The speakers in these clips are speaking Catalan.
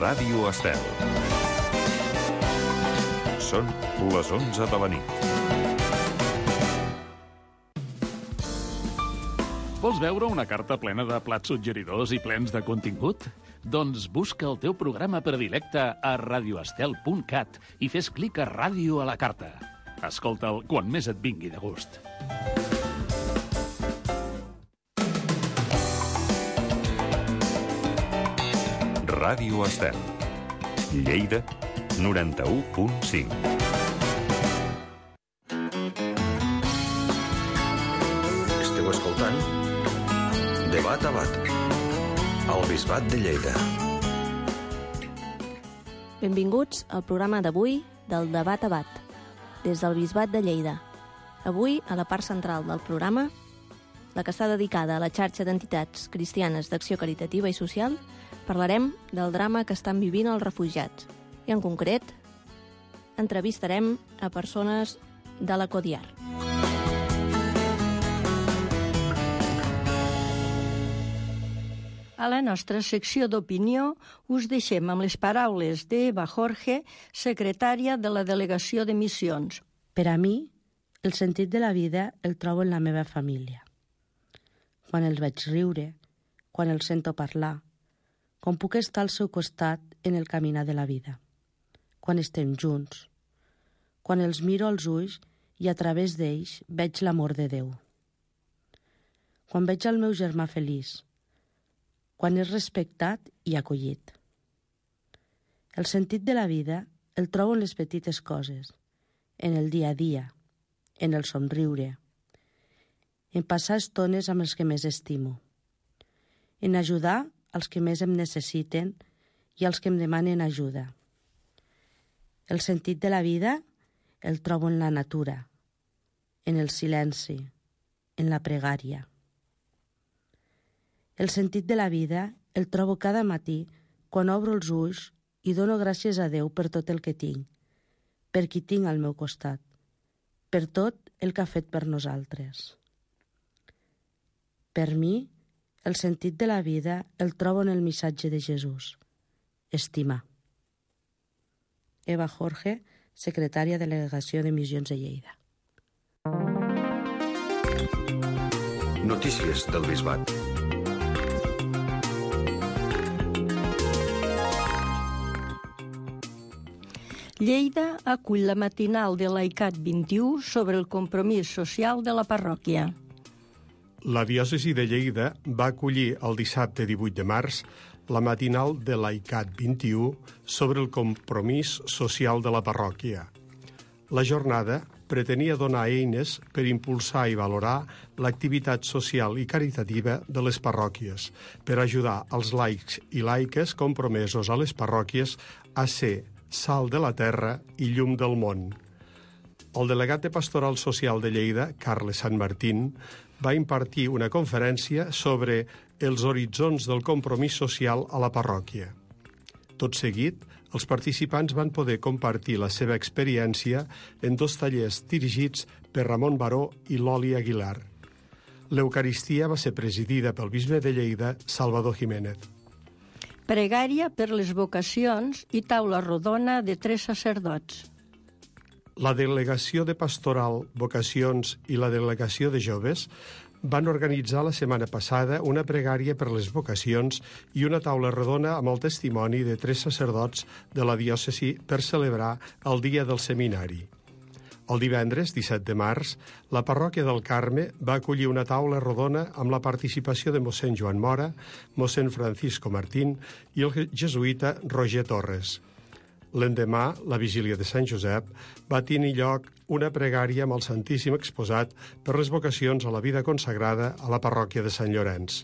Ràdio Estel. Són les 11 de la nit. Vols veure una carta plena de plats suggeridors i plens de contingut? Doncs busca el teu programa predilecte a radioestel.cat i fes clic a Ràdio a la carta. Escolta'l quan més et vingui de gust. Ràdio Estel. Lleida, 91.5. Esteu escoltant Debat a Bat, al Bisbat de Lleida. Benvinguts al programa d'avui del Debat a Bat, des del Bisbat de Lleida. Avui, a la part central del programa, la que està dedicada a la xarxa d'entitats cristianes d'acció caritativa i social, parlarem del drama que estan vivint els refugiats. I en concret, entrevistarem a persones de la Codiar. A la nostra secció d'opinió us deixem amb les paraules d'Eva Jorge, secretària de la Delegació de Missions. Per a mi, el sentit de la vida el trobo en la meva família. Quan els veig riure, quan els sento parlar, quan puc estar al seu costat en el caminar de la vida, quan estem junts, quan els miro als ulls i a través d'ells veig l'amor de Déu. Quan veig el meu germà feliç, quan és respectat i acollit. El sentit de la vida el trobo en les petites coses, en el dia a dia, en el somriure, en passar estones amb els que més estimo, en ajudar als que més em necessiten i als que em demanen ajuda. El sentit de la vida el trobo en la natura, en el silenci, en la pregària. El sentit de la vida el trobo cada matí quan obro els ulls i dono gràcies a Déu per tot el que tinc, per qui tinc al meu costat, per tot el que ha fet per nosaltres. Per mi, el sentit de la vida el trobo en el missatge de Jesús: estimar. Eva Jorge, secretària de Delegació de Missions de Lleida. Notícies del Bisbat. Lleida acull la matinal de l'AICAT 21 sobre el compromís social de la parròquia. La diòcesi de Lleida va acollir el dissabte 18 de març la matinal de l'AICAT 21 sobre el compromís social de la parròquia. La jornada pretenia donar eines per impulsar i valorar l'activitat social i caritativa de les parròquies, per ajudar els laics i laiques compromesos a les parròquies a ser sal de la terra i llum del món. El delegat de Pastoral Social de Lleida, Carles Sant Martín, va impartir una conferència sobre els horitzons del compromís social a la parròquia. Tot seguit, els participants van poder compartir la seva experiència en 2 tallers dirigits per Ramon Baró i Loli Aguilar. L'Eucaristia va ser presidida pel bisbe de Lleida, Salvador Jiménez. Pregària per les vocacions i taula rodona de 3 sacerdots. La Delegació de Pastoral, Vocacions i la Delegació de Joves van organitzar la setmana passada una pregària per les vocacions i una taula rodona amb el testimoni de 3 sacerdots de la diòcesi per celebrar el Dia del Seminari. El divendres, 17 de març, la parròquia del Carme va acollir una taula rodona amb la participació de mossèn Joan Mora, mossèn Francisco Martín i el jesuïta Roger Torres. L'endemà, la vigília de Sant Josep, va tenir lloc una pregària amb el Santíssim exposat per les vocacions a la vida consagrada a la parròquia de Sant Llorenç.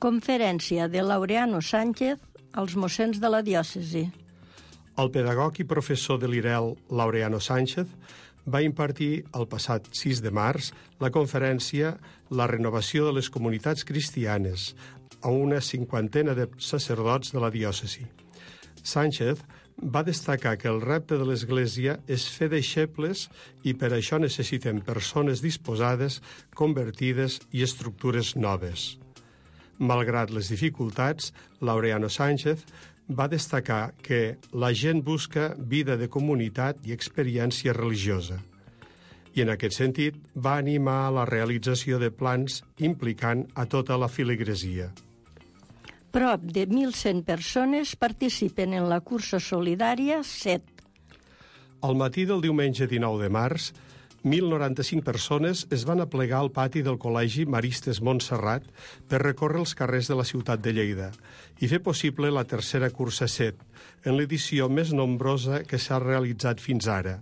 Conferència de Laureano Sánchez als mossens de la diòcesi. El pedagog i professor de l'IREL, Laureano Sánchez, va impartir el passat 6 de març la conferència La renovació de les comunitats cristianes a una 50ena de sacerdots de la diòcesi. Sánchez va destacar que el repte de l'Església és fer deixebles i per això necessitem persones disposades, convertides i estructures noves. Malgrat les dificultats, Laureano Sánchez va destacar que la gent busca vida de comunitat i experiència religiosa. I en aquest sentit va animar a la realització de plans implicant a tota la filigresia. Prop de 1.100 persones participen en la cursa solidària 7. Al matí del diumenge 19 de març, 1.095 persones es van aplegar al pati del Col·legi Maristes Montserrat per recórrer els carrers de la ciutat de Lleida i fer possible la tercera cursa 7, en l'edició més nombrosa que s'ha realitzat fins ara.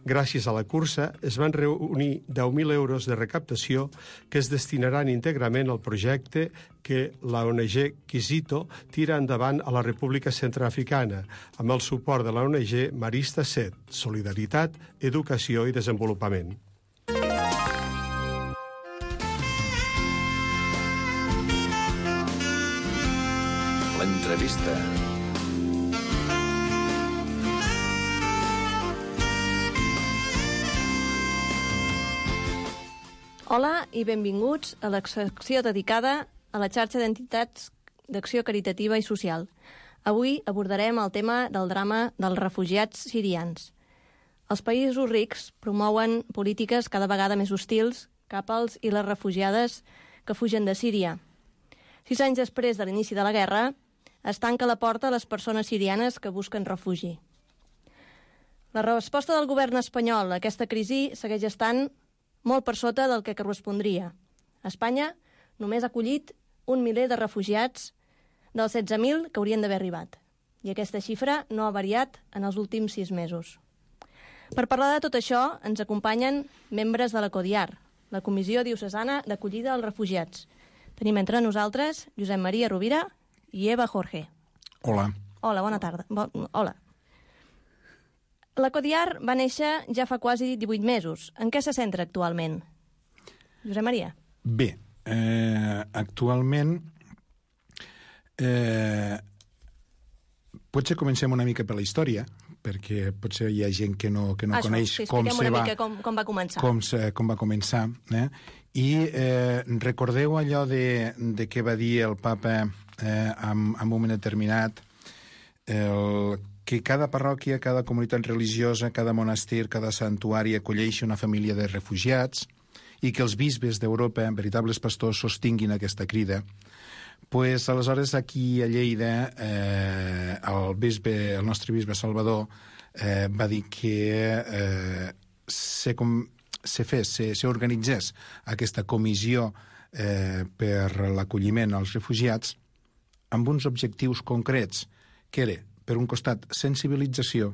Gràcies a la cursa es van reunir 10.000 euros de recaptació que es destinaran íntegrament al projecte que la ONG Quisito tira endavant a la República Centreafricana, amb el suport de la ONG Marista 7, Solidaritat, Educació i Desenvolupament. L'entrevista. Hola i benvinguts a la secció dedicada a la xarxa d'entitats d'acció caritativa i social. Avui abordarem el tema del drama dels refugiats sirians. Els països rics promouen polítiques cada vegada més hostils cap als i les refugiades que fugen de Síria. 6 anys després de l'inici de la guerra, es tanca la porta a les persones sirianes que busquen refugi. La resposta del govern espanyol a aquesta crisi segueix estant molt per sota del que correspondria. Espanya només ha acollit 1 miler de refugiats dels 16.000 que haurien d'haver arribat. I aquesta xifra no ha variat en els últims 6 mesos. Per parlar de tot això, ens acompanyen membres de la CODIAR, la Comissió Diocesana d'Acollida als Refugiats. Tenim entre nosaltres Josep Maria Rovira i Eva Jorge. Hola. Hola, bona tarda. Hola. La CODIAR va néixer ja fa quasi 18 mesos. En què se centra actualment? Josep Maria. Bé, actualment potser comencem una mica per la història, perquè potser hi ha gent que no coneix com va començar. Com va començar. I recordeu allò de què va dir el papa en un moment determinat, que cada parròquia, cada comunitat religiosa, cada monestir, cada santuari acolleixi una família de refugiats i que els bisbes d'Europa, veritables pastors, sostinguin aquesta crida. Pues, aleshores, aquí a Lleida, el nostre bisbe Salvador va dir que s'organitzés aquesta comissió per l'acolliment als refugiats amb uns objectius concrets, que era, per un costat, sensibilització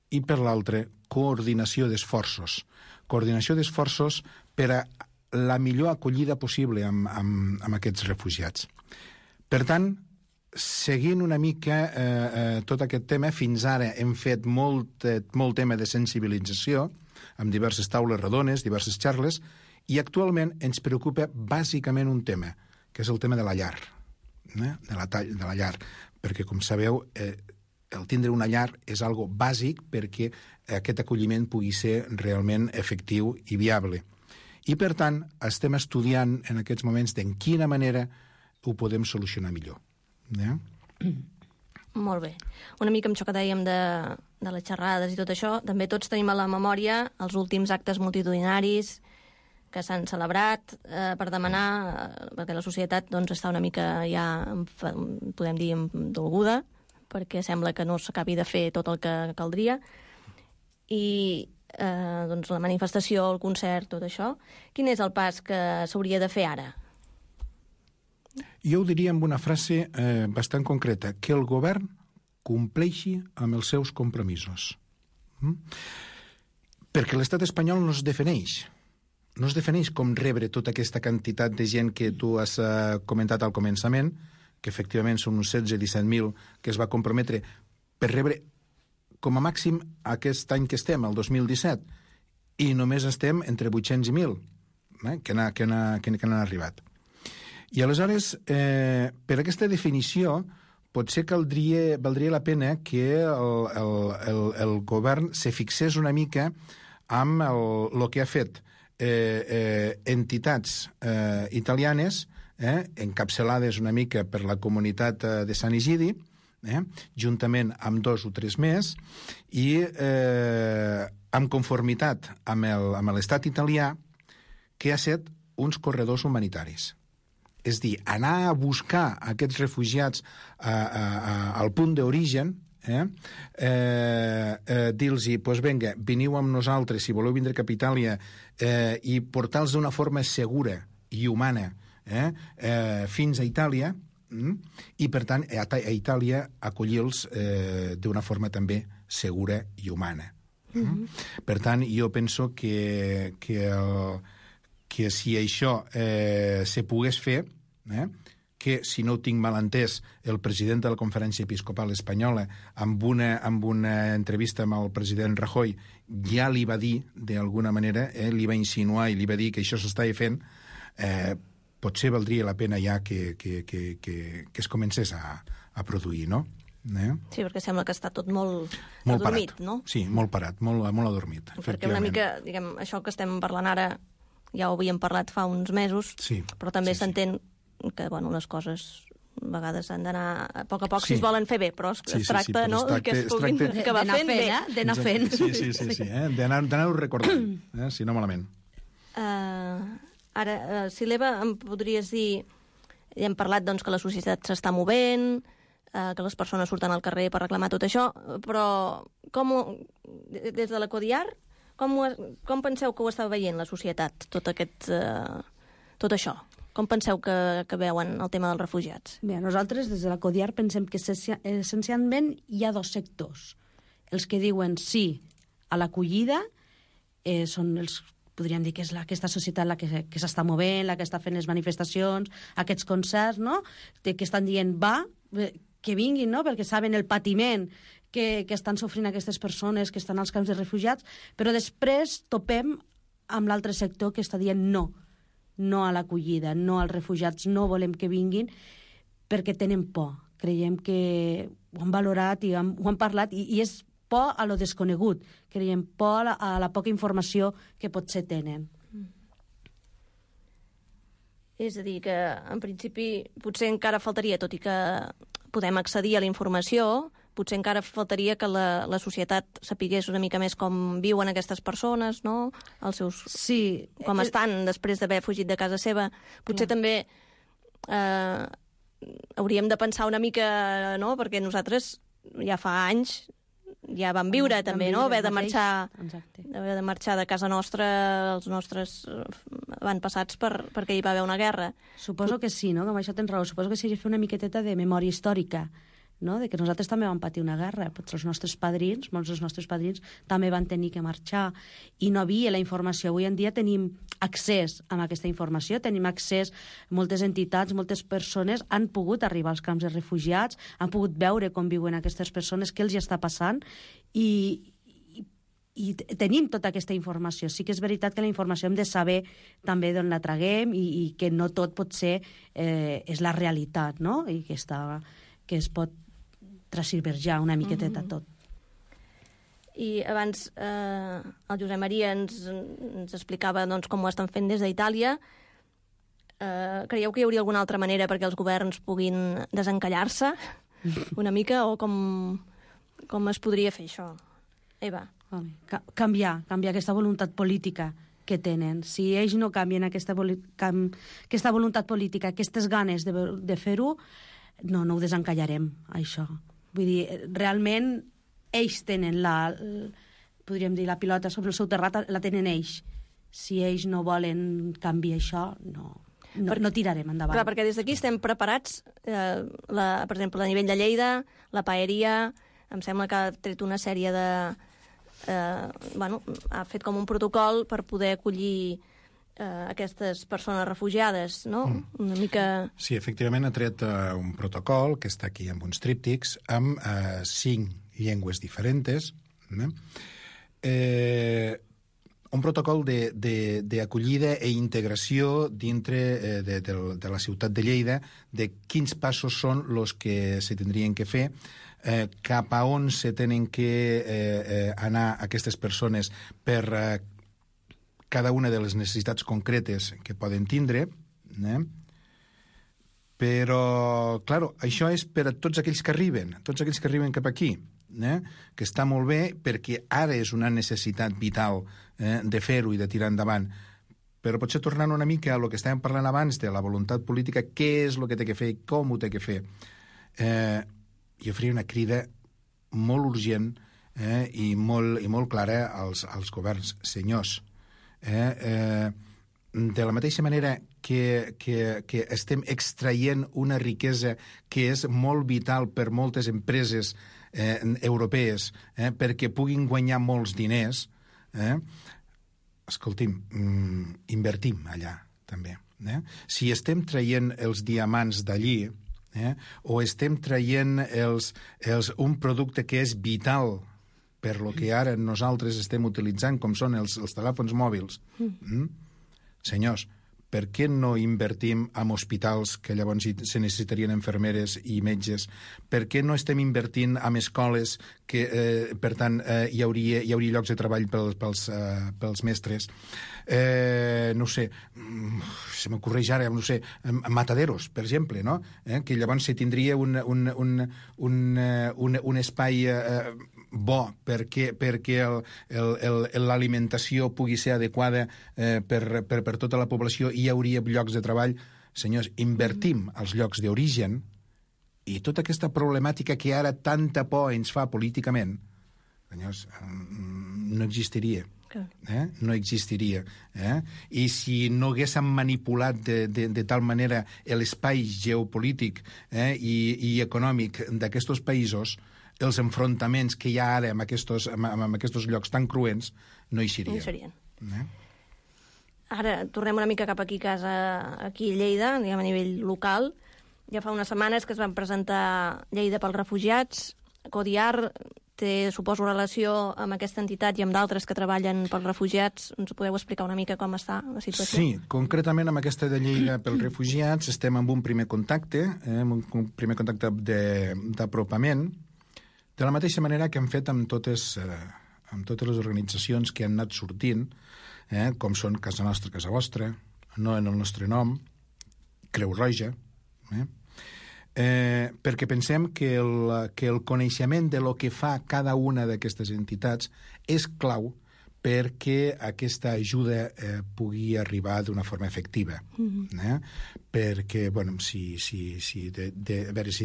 i, per l'altre, coordinació d'esforços. Coordinació d'esforços per a la millor acollida possible amb aquests refugiats. Per tant, seguint una mica tot aquest tema, fins ara hem fet molt tema de sensibilització, amb diverses taules rodones, diverses xarles, i actualment ens preocupa bàsicament un tema, que és el tema de la llar, de la llar, perquè, com sabeu, el tindre una llar és algo bàsic perquè aquest acolliment pugui ser realment efectiu i viable. I, per tant, estem estudiant en aquests moments de quina manera ho podem solucionar millor. Molt bé. Una mica amb això que dèiem de les xerrades i tot això, també tots tenim a la memòria els últims actes multitudinaris que s'han celebrat per demanar, perquè la societat està una mica ja, podem dir, dolguda, perquè sembla que no s'acabi de fer tot el que caldria, i la manifestació, el concert, tot això. Quin és el pas que s'hauria de fer ara? Jo ho diria amb una frase bastant concreta, que el govern compleixi amb els seus compromisos. Perquè l'estat espanyol no es defineix com rebre tota aquesta quantitat de gent que tu has comentat al començament, que efectivament són uns 16-17.000 que es va comprometre per rebre com a màxim aquest any que estem, el 2017, i només estem entre 800 i 1.000 que han arribat. I aleshores, per aquesta definició, potser valdria la pena que el govern se fixés una mica amb el que ha fet entitats italianes, encapçalades una mica per la comunitat de Sant Egidi, juntament amb 2 o 3 més, i en conformitat amb l'estat italià, que ha set uns corredors humanitaris. És dir, anar a buscar aquests refugiats al punt d'origen, dir-los, doncs vinga, veniu amb nosaltres, si voleu vindre cap a Itàlia, i portar-los d'una forma segura i humana fins a Itàlia, i per tant a Itàlia acollir-los d'una forma també segura i humana. Per tant, jo penso que si això se pogués fer, que, si no ho tinc mal entès, el president de la Conferència Episcopal Espanyola, amb una entrevista amb el president Rajoy, ja li va dir, d'alguna manera, li va insinuar i li va dir que això s'estava fent, potser valdria la pena ja que es comencés a produir, no? Sí, perquè sembla que està tot molt adormit, parat. No? Sí, molt parat, molt adormit. Perquè una mica, diguem, això que estem parlant ara, ja ho havíem parlat fa uns mesos, sí, però també sí, s'entén que, bueno, les coses a vegades han d'anar a poc si es volen fer bé, però es tracta, no?, que es puguin acabar fent bé. D'anar fent. Sí, d'anar-ho recordant, si no malament. Ara, si l'Eva em podries dir, ja hem parlat doncs, que la societat s'està movent, que les persones surten al carrer per reclamar tot això, però des de la Codiar, com penseu que ho està veient la societat, tot això? Com penseu que veuen el tema dels refugiats? Bé, nosaltres, des de la Codiar, pensem que essencialment hi ha 2 sectors. Els que diuen sí a l'acollida són els, podríem dir que és aquesta societat la que s'està movent, la que està fent les manifestacions, aquests concerts, no?, que estan dient que vinguin, no?, perquè saben el patiment que estan sofrint aquestes persones que estan als camps de refugiats, però després topem amb l'altre sector que està dient no a l'acollida, no als refugiats, no volem que vinguin perquè tenen por. Creiem que ho han valorat i ho han parlat, i és por a lo desconegut. Creiem por a la poca informació que potser tenen. És a dir, que en principi potser encara faltaria, tot i que podem accedir a la informació, potser encara faltaria que la societat sapigués una mica més com viuen aquestes persones, no?, els seus... Sí. Com estan després d'haver fugit de casa seva. Potser també hauríem de pensar una mica, no?, perquè nosaltres ja fa anys ja vam viure també, no?, haver de marxar de casa nostra, els nostres avantpassats perquè hi va haver una guerra. Suposo que sí, no?, que amb això tens raó. Suposo que s'ha de fer una miqueteta de memòria històrica, no?, de que nosaltres també vam patir una guerra. Potser els nostres padrins, molts dels nostres padrins, també van tenir que marxar i no havia la informació. Avui en dia tenim accés a aquesta informació, tenim accés, moltes entitats, moltes persones han pogut arribar als camps de refugiats, han pogut veure com viuen aquestes persones, què els hi està passant, i tenim tota aquesta informació. Sí que és veritat que la informació hem de saber també d'on la traguem i que no tot potser és la realitat, no?, i que es pot transverjar una miqueteta tot. I abans el Josep Maria ens explicava doncs, com ho estan fent des d'Itàlia. Creieu que hi hauria alguna altra manera perquè els governs puguin desencallar-se una mica, o com es podria fer això? Eva. Canviar aquesta voluntat política que tenen. Si ells no canvien aquesta voluntat política, aquestes ganes de fer-ho, no ho desencallarem, això. Vull dir, realment ells tenen podríem dir, la pilota sobre el seu terrat, la tenen ells. Si ells no volen canviar això, no tirarem endavant. Clar, perquè des d'aquí estem preparats, per exemple, a nivell de Lleida, la paeria, em sembla que ha tret una sèrie de... ha fet com un protocol per poder acollir aquestes persones refugiades, no? Una mica... Sí, efectivament ha tret un protocol que està aquí amb uns tríptics amb 5 llengües diferents, un protocol d'acollida i integració dintre de la ciutat de Lleida, de quins passos són els que se tindrien que fer, cap a on se tenen que anar aquestes persones per cada una de les necessitats concretes que poden tindre, Però, clar, això és per a tots aquells que arriben cap aquí, que està molt bé perquè ara és una necessitat vital de fer-ho i de tirar endavant. Però potser tornant una mica a lo que estàvem parlant abans de la voluntat política, què és el que té que fer i com ho té que fer. Jo faria una crida molt urgent i molt clara als governs. Senyors, de la mateixa manera que estem extraient una riquesa que és molt vital per moltes empreses europees perquè puguin guanyar molts diners, escolti'm, invertim allà també. Si estem traient els diamants d'allí o estem traient un producte que és vital per lo que ara nosaltres estem utilitzant, com són els telèfons mòbils, senyors, per què no invertim en hospitals que llavors se necessitarien infermeres i metges? Per què no estem invertint en escoles que, per tant, hi hauria llocs de treball pels mestres? No sé, se m'ocorreix ara, no sé, mataderos, per exemple, no? Que llavors se tindria un espai bo perquè l'alimentació pugui ser adequada per tota la població i hi hauria llocs de treball. Senyors, invertim als llocs d'origen i tota aquesta problemàtica que ara tanta por ens fa políticament, senyors, no existiria. No existiria. I si no haguéssim manipulat de tal manera l'espai geopolític i econòmic d'aquests països, els enfrontaments que hi ha ara en aquests llocs tan cruents no hi serien. Ara tornem una mica cap aquí a casa, aquí a Lleida, diguem a nivell local. Ja fa unes setmanes que es van presentar Lleida pels refugiats. Codiar té, suposo, relació amb aquesta entitat i amb d'altres que treballen pels refugiats. Ens podeu explicar una mica com està la situació? Sí, concretament amb aquesta de Lleida pels refugiats estem amb un primer contacte, d'apropament, de la mateixa manera que hem fet amb totes les organitzacions que han anat sortint, com són Casa Nostra, Casa Vostra, No en el nostre nom, Creu Roja, perquè pensem que el coneixement de lo que fa cada una d'aquestes entitats és clau perquè aquesta ajuda pugui arribar d'una forma efectiva. Perquè, bueno, si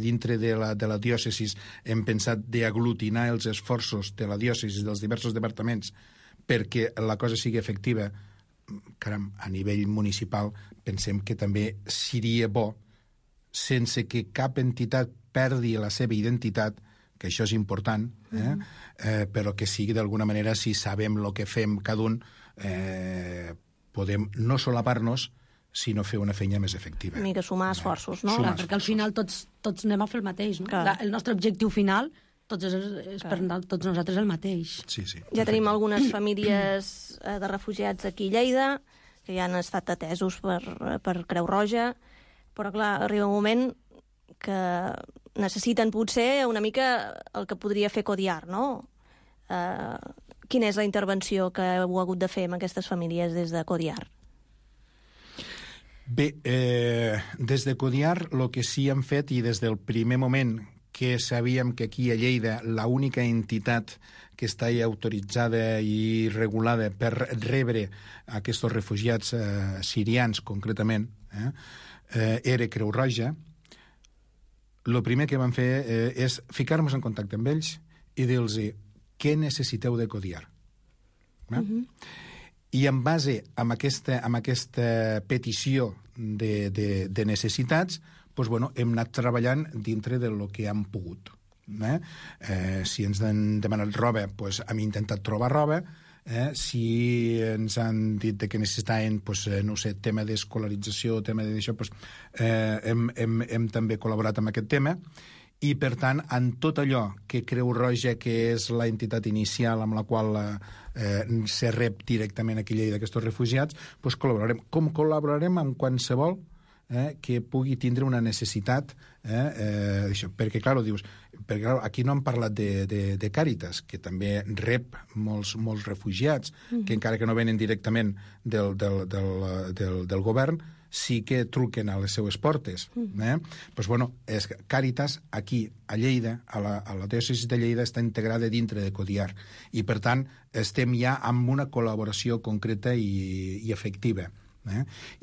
dintre de la diòcesi hem pensat d'aglutinar els esforços de la diòcesi dels diversos departaments perquè la cosa sigui efectiva, caram, a nivell municipal pensem que també seria bo, sense que cap entitat perdi la seva identitat, que això és important, però que sigui d'alguna manera, si sabem el que fem cada un, podem no solapar-nos, sinó fer una feina més efectiva. Una mica sumar esforços, no? Clar, perquè al final tots anem a fer el mateix, no? El nostre objectiu final és per tots nosaltres el mateix. Sí, sí. Ja tenim algunes famílies de refugiats aquí a Lleida, que ja han estat atesos per Creu Roja, però clar, arriba un moment que necessiten potser una mica el que podria fer Codiar, no? Quina és la intervenció que heu hagut de fer amb aquestes famílies des de Codiar? Bé, des de Codiar el que sí hem fet, i des del primer moment que sabíem que aquí a Lleida l'única entitat que està autoritzada i regulada per rebre aquests refugiats sirians, concretament, era Creu Roja, el primer que vam fer és ficar-nos en contacte amb ells i dir-los què necessiteu de Codiar. I en base a aquesta petició de necessitats, doncs, hem anat treballant dintre del que hem pogut. Si ens han demanat roba, doncs, hem intentat trobar roba. Si ens han dit que necessitaven, no sé, tema d'escolarització, tema d'això, hem també col·laborat amb aquest tema. I, per tant, en tot allò que Creu Roja, que és la entitat inicial amb la qual se rep directament aquí a Lleida d'aquests refugiats, doncs col·laborarem. Com col·laborarem amb qualsevol que pugui tindre una necessitat d'això. Perquè, clar, aquí no hem parlat de Càritas, que també rep molts refugiats, que encara que no venen directament del govern, sí que truquen a les seues portes. Pues, bueno, Càritas, aquí, a Lleida, a la diòcesi de Lleida, està integrada dintre de Codiar. I, per tant, estem ja amb una col·laboració concreta i efectiva.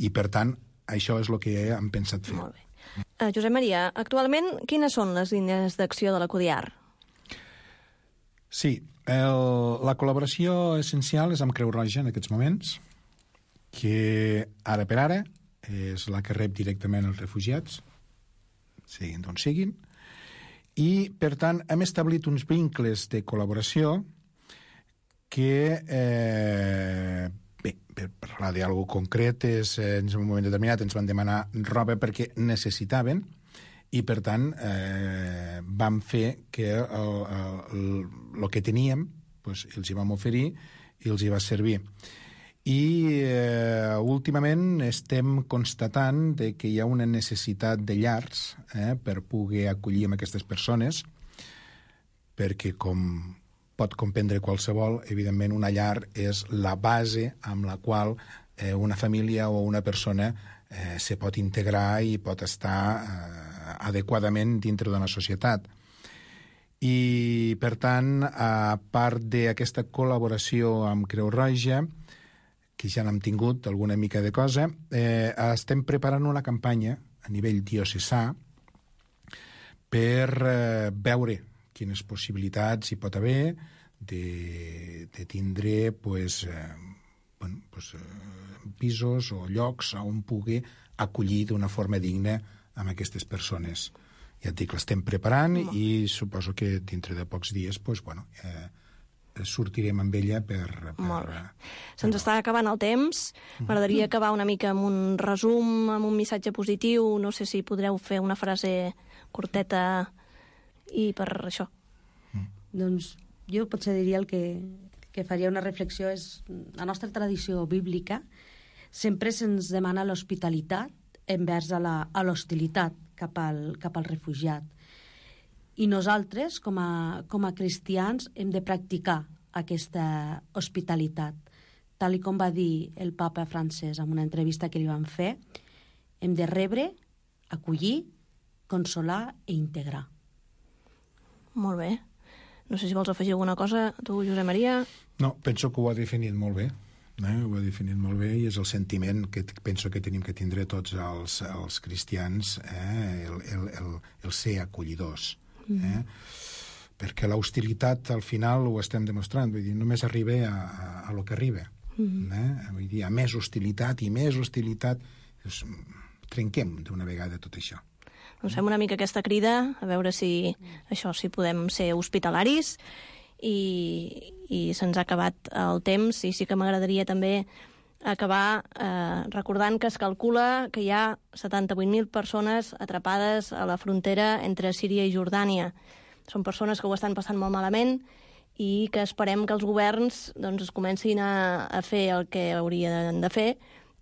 I, per tant, això és el que hem pensat fer. Molt bé. Josep Maria, actualment, quines són les línies d'acció de la Codiar? Sí, la col·laboració essencial és amb Creu Roja en aquests moments, que ara per ara és la que rep directament els refugiats, siguin d'on siguin, i, per tant, hem establit uns vincles de col·laboració que, bé, per parlar d'algú concret, en un moment determinat ens van demanar roba perquè necessitaven, i, per tant, vam fer que el que teníem els hi vam oferir i els hi va servir. I últimament estem constatant que hi ha una necessitat de llars per poder acollir amb aquestes persones, perquè, com pot comprendre qualsevol, evidentment una llar és la base amb la qual una família o una persona se pot integrar i pot estar adequadament dintre d'una societat. I, per tant, a part d'aquesta col·laboració amb Creu Roja, que ja n'hem tingut alguna mica de cosa, estem preparant una campanya a nivell diocesà per veure quines possibilitats hi pot haver de tindre pisos o llocs on pugui acollir d'una forma digna amb aquestes persones. Ja et dic, l'estem preparant i suposo que dintre de pocs dies sortirem amb ella per... Molt bé. Se'ns està acabant el temps. M'agradaria acabar una mica amb un resum, amb un missatge positiu. No sé si podreu fer una frase curteta i per això. Doncs jo potser diria el que faria una reflexió és la nostra tradició bíblica sempre se'ns demana l'hospitalitat envers a l'hostilitat cap al refugiat. I nosaltres, com a cristians, hem de practicar aquesta hospitalitat. Tal com va dir el papa francès en una entrevista que li van fer, hem de rebre, acollir, consolar i integrar. Molt bé. No sé si vols afegir alguna cosa, tu, Josep Maria. No, penso que ho ha definit molt bé. Ho ha definit molt bé i és el sentiment que penso que tenim que tindre tots els cristians, el ser acollidors. Perquè l'hostilitat al final ho estem demostrant, vull dir, només arriba a lo que arriba. Vull dir, a més hostilitat i més hostilitat, trenquem d'una vegada tot això. Doncs fem una mica aquesta crida, a veure si podem ser hospitalaris, i se'ns ha acabat el temps, i sí que m'agradaria també acabar recordant que es calcula que hi ha 78.000 persones atrapades a la frontera entre Síria i Jordània. Són persones que ho estan passant molt malament i que esperem que els governs es comencin a fer el que haurien de fer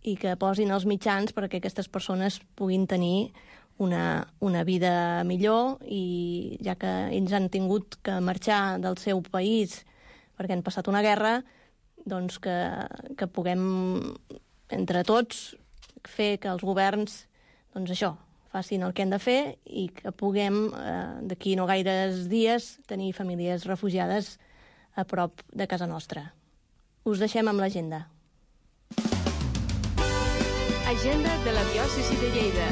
i que posin els mitjans perquè aquestes persones puguin tenir una vida millor, i ja que ells han tingut que marxar del seu país perquè han passat una guerra, doncs que puguem, entre tots, fer que els governs, facin el que han de fer i que puguem, d'aquí no gaires dies, tenir famílies refugiades a prop de casa nostra. Us deixem amb l'agenda. Agenda de la diòcesi de Lleida.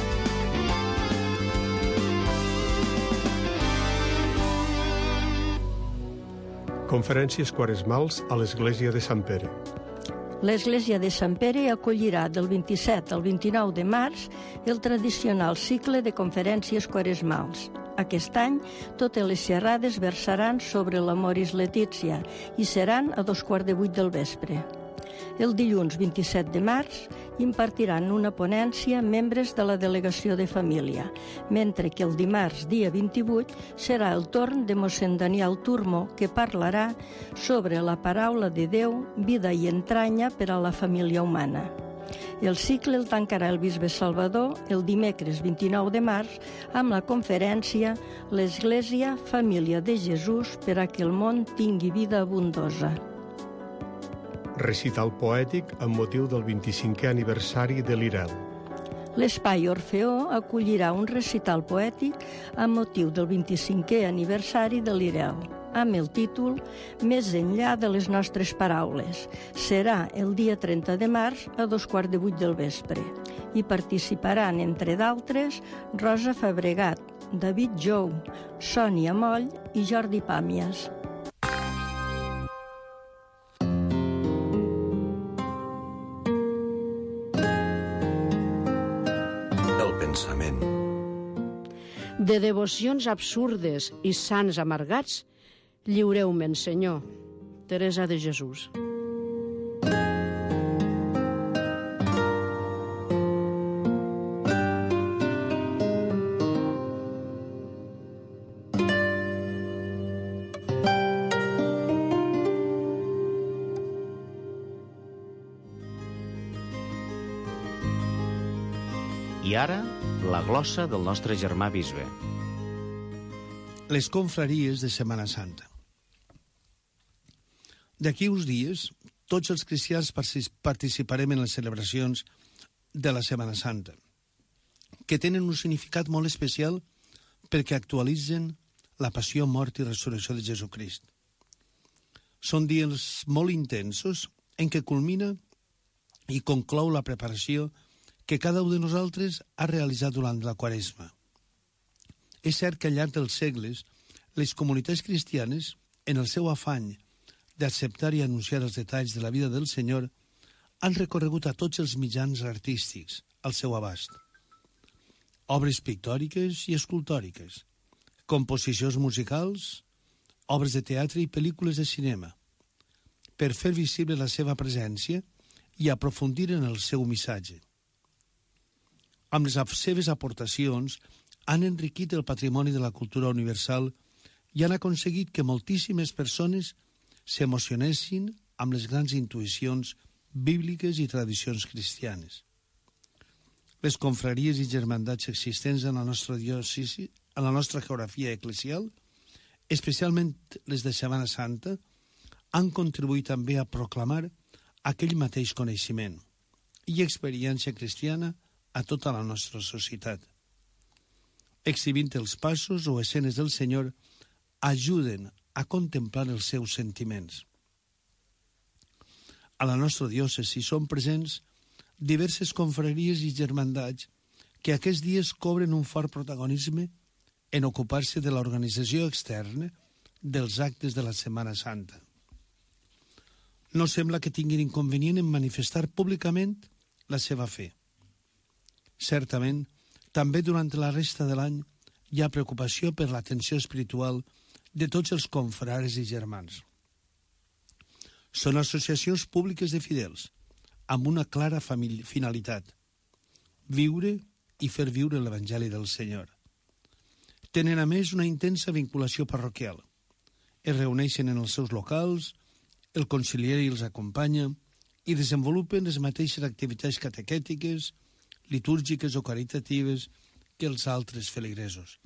Conferències quaresmals a l'Església de Sant Pere. L'Església de Sant Pere acollirà del 27 al 29 de març el tradicional cicle de conferències quaresmals. Aquest any, totes les xerrades versaran sobre l'Amoris Laetitia i seran a 7:15 del vespre. El dilluns 27 de març impartiran una ponència membres de la Delegació de Família, mentre que el dimarts, dia 28, serà el torn de mossèn Daniel Turmo, que parlarà sobre la paraula de Déu, vida i entranya per a la família humana. El cicle el tancarà el bisbe Salvador el dimecres 29 de març amb la conferència «L'Església, família de Jesús per a que el món tingui vida abundosa». Recital poètic amb motiu del 25è aniversari de l'Irel. L'Espai Orfeó acollirà un recital poètic amb motiu del 25è aniversari de l'IREL, amb el títol Més enllà de les nostres paraules. Serà el dia 30 de març a 7:15 del vespre. Hi participaran, entre d'altres, Rosa Fabregat, David Jou, Sònia Moll i Jordi Pàmies. Pensament. De devocions absurdes i sants amargats, lliureu-me'n, Senyor. Teresa de Jesús. I ara, la glossa del nostre germà bisbe. Les confraries de Setmana Santa. D'aquí uns dies, tots els cristians participarem en les celebracions de la Setmana Santa, que tenen un significat molt especial perquè actualitzen la passió, mort i resurrecció de Jesucrist. Són dies molt intensos en què culmina i conclou la preparació que cada un de nosaltres ha realitzat durant la Quaresma. És cert que al llarg dels segles, les comunitats cristianes, en el seu afany d'acceptar i anunciar els detalls de la vida del Senyor, han recorregut a tots els mitjans artístics al seu abast. Obres pictòriques i escultòriques, composicions musicals, obres de teatre i pel·lícules de cinema, per fer visible la seva presència i aprofundir en el seu missatge. Amb les seves aportacions han enriquit el patrimoni de la cultura universal i han aconseguit que moltíssimes persones s'emocionessin amb les grans intuïcions bíbliques i tradicions cristianes. Les confraries i germandats existents en la nostra diòcesi, en la nostra geografia eclesial, especialment les de Setmana Santa, han contribuït també a proclamar aquell mateix coneixement i experiència cristiana a tota la nostra societat. Exhibint els passos o escenes del Senyor, ajuden a contemplar els seus sentiments. A la nostra diòcesi són presents diverses confraries i germandats que aquests dies cobren un fort protagonisme en ocupar-se de l'organització externa dels actes de la Setmana Santa. No sembla que tinguin inconvenient en manifestar públicament la seva fe. Certament, també durant la resta de l'any hi ha preocupació per l'atenció espiritual de tots els confrares i germans. Són associacions públiques de fidels, amb una clara finalitat: viure i fer viure l'Evangeli del Senyor. Tenen, a més, una intensa vinculació parroquial. Es reuneixen en els seus locals, el conciliari els acompanya i desenvolupen les mateixes activitats catequètiques, litúrgiques o caritatives que els altres feligresos.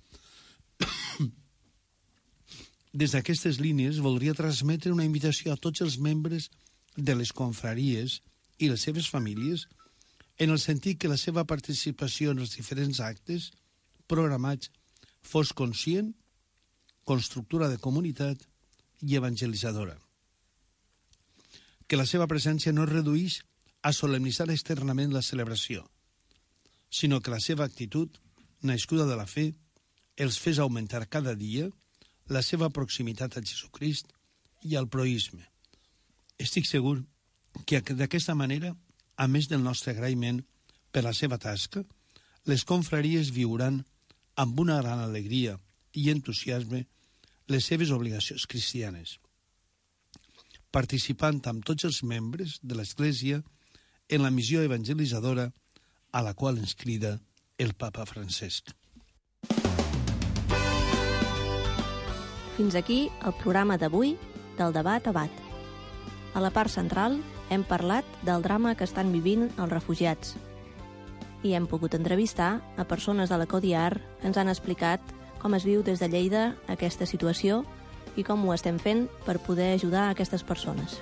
Des d'aquestes línies voldria transmetre una invitació a tots els membres de les confraries i les seves famílies en el sentit que la seva participació en els diferents actes programats fos conscient, constructora de comunitat i evangelitzadora. Que la seva presència no es reduïx a solemnitzar externament la celebració, sinó que la seva actitud, nascuda de la fe, els fes augmentar cada dia la seva proximitat a Jesucrist i al proïsme. Estic segur que d'aquesta manera, a més del nostre agraïment per la seva tasca, les confraries viuran amb una gran alegria i entusiasme les seves obligacions cristianes, participant amb tots els membres de l'Església en la missió evangelitzadora a la qual ens crida el papa Francesc. Fins aquí el programa d'avui del Debat a Bat. A la part central hem parlat del drama que estan vivint els refugiats i hem pogut entrevistar a persones de la CODIAR que ens han explicat com es viu des de Lleida aquesta situació i com ho estem fent per poder ajudar a aquestes persones.